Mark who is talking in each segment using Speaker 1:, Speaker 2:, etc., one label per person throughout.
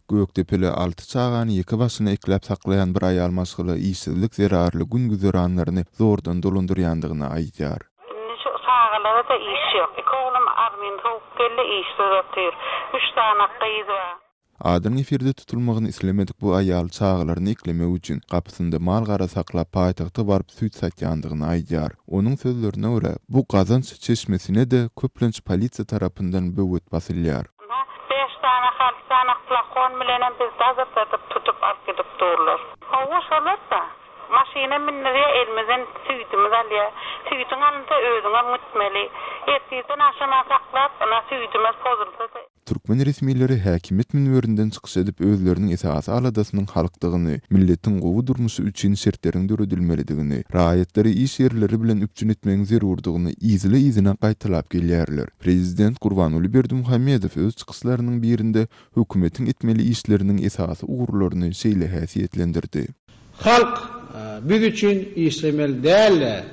Speaker 1: Gökdepeli alty çagany ýeke başyna ekläp saklaýan bir aýal maşgala işsizlik zerarly gün-güzeranlaryny zordan dolandyrýandygyny aýdýar.
Speaker 2: Indi şu çagalara-da iş ýok. Iki oglum armyny sowup geldi, işsiz otyr. Üç sany gyz bar.
Speaker 1: Adynyň efirde tutulmagyny islemedik bu aýal çagalaryny eklemek üçin gapysynda mal-gara saklap paýtagta baryp süýt satýandygyny aýdýar. Onuň sözlerine görä, bu gazanç çeşmesine-de köplenç polisiýa tarapyndan böwet basylýar.
Speaker 2: Ynha, bäş sany, alty sany flakon bilenem bizi dazyrdadyp tutup alyp gidip durlar. Hawa, şolar-da. Maşyna mündirýär, elimizden süýdümizi alýar. Süýdüň alynsa özüňem gitmeli. Ertirden agşama saklap, ynha, süýdümiz pozulsa-da.
Speaker 1: Türkmen resmileri häkimiýet münberinden çykyş edip, özleriniň esasy aladasynyň halkdygyny, milletiň gowy durmuşy üçin şertleriň döredilmelidigini, raýatlary iş ýerleri bilen üpjün etmegiň zerurdygyny yzly-yzyna gaýtalap gelýärler. Prezident Gurbanguly Berdimuhamedow öz çykyşlarynyň birinde hökümetiň etmeli işleriniň esasy ugurlaryny şeýle häsiýetlendirdi.
Speaker 3: Halk biz üçin işlemeli däl-de,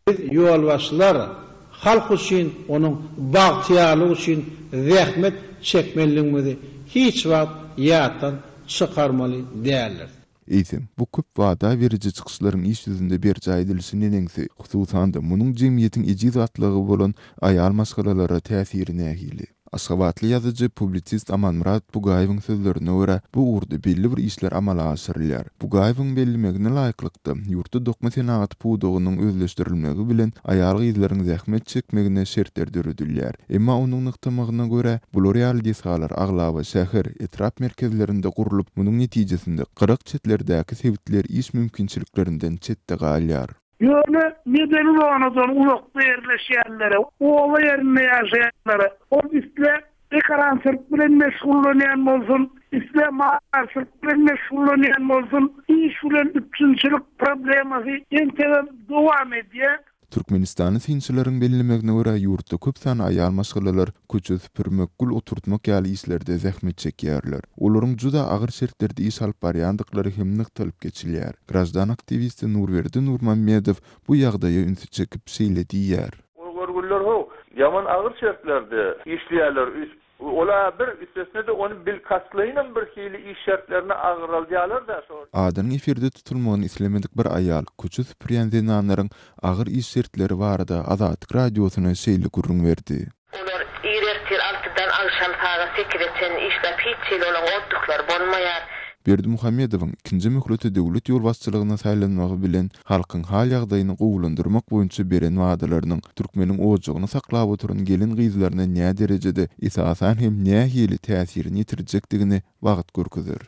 Speaker 3: biz ýolbaşçylar halk üçin, onuň bagtyýarlygy üçin zähmet çekmelidigimizi hiç wagt ýatdan çykarmaly däldiris.
Speaker 1: Eýsem, bu köp wada beriji çykyşlaryň iş ýüzünde berjaý edilişi neneňsi, hususan-da, munuň jemgyýetiň ejiz gatlagy bolan aýal maşgalalara täsiri nähili? Aşgabatly ýazyjy, publisist Amanmyrat Bugaýewiň sözlerine görä, bu ugurda belli bir işler amala aşyrylýar. Bugaýewiň bellemegine laýyklykda, ýurtda dokma senagaty pudagynyň özleşdirilmegi bilen aýal-gyzlaryň zähmet çekmegine şertler döredilýär. Emma onuň nygtamagyna görä, bular ýaly desgalar aglaba şäher, etrap merkezlerinde gurlup, munuň netijesinde gyrak-çetlerdäki sebitler iş mümkinçiliklerinden çetde galýar.
Speaker 4: Ýöne medeni zonadan uzakda ýerleşýänlere, oba ýerinde ýaşaýanlara, ol isle ekerançylyk bilen meşgullanýan bolsun, isle maldarçylyk bilen meşgullanýan bolsun, iş bilen üpjünçilik problemasy entegem dowam edýär.
Speaker 1: Türkmenistanly synçylaryň bellemegine görä, ýurtda köp sanly aýal maşgalalar köçe süpürmek, gül oturtmak ýaly işlerde zähmet çekýärler. Olaryň juda agyr şertlerde iş alyp barýandyklary hem nygtalyp geçilýär. Graždan aktiwisti Nurberdi Nurmammedow bu ýagdaýa ünsi çekip, şeýle diýýär.
Speaker 5: Ol görgüliler how, ýaman agyr şertlerde işleýärler. Ol-a bir, üstesine-de ony bilkastlaýynam bir hili iş şertlerini agraldýarlar-da şo.
Speaker 1: Adynyň efirde tutulmagyny islemedik bir aýal köçe süpürýän zenanlaryň agyr iş şertleri barada Azatlyk Radiosyna şeýle gürrüň berdi.
Speaker 6: Olar ir ertir altydan agşam sagat sekize çenli işläp hiç hili olaň otduhlary bolmaýar.
Speaker 1: Berdimuhamedowyň ikinji möhlete döwlet ýolbaşçylygyna saýlanmagy bilen halkyň hal-ýagdaýyny gowulandyrmak boýunça beren wadalarynyň türkmeniň ojagyny saklap oturan gelin-gyzlaryna näderejede, esasan hem nähili täsirini ýetirjekdigini wagt görkezer.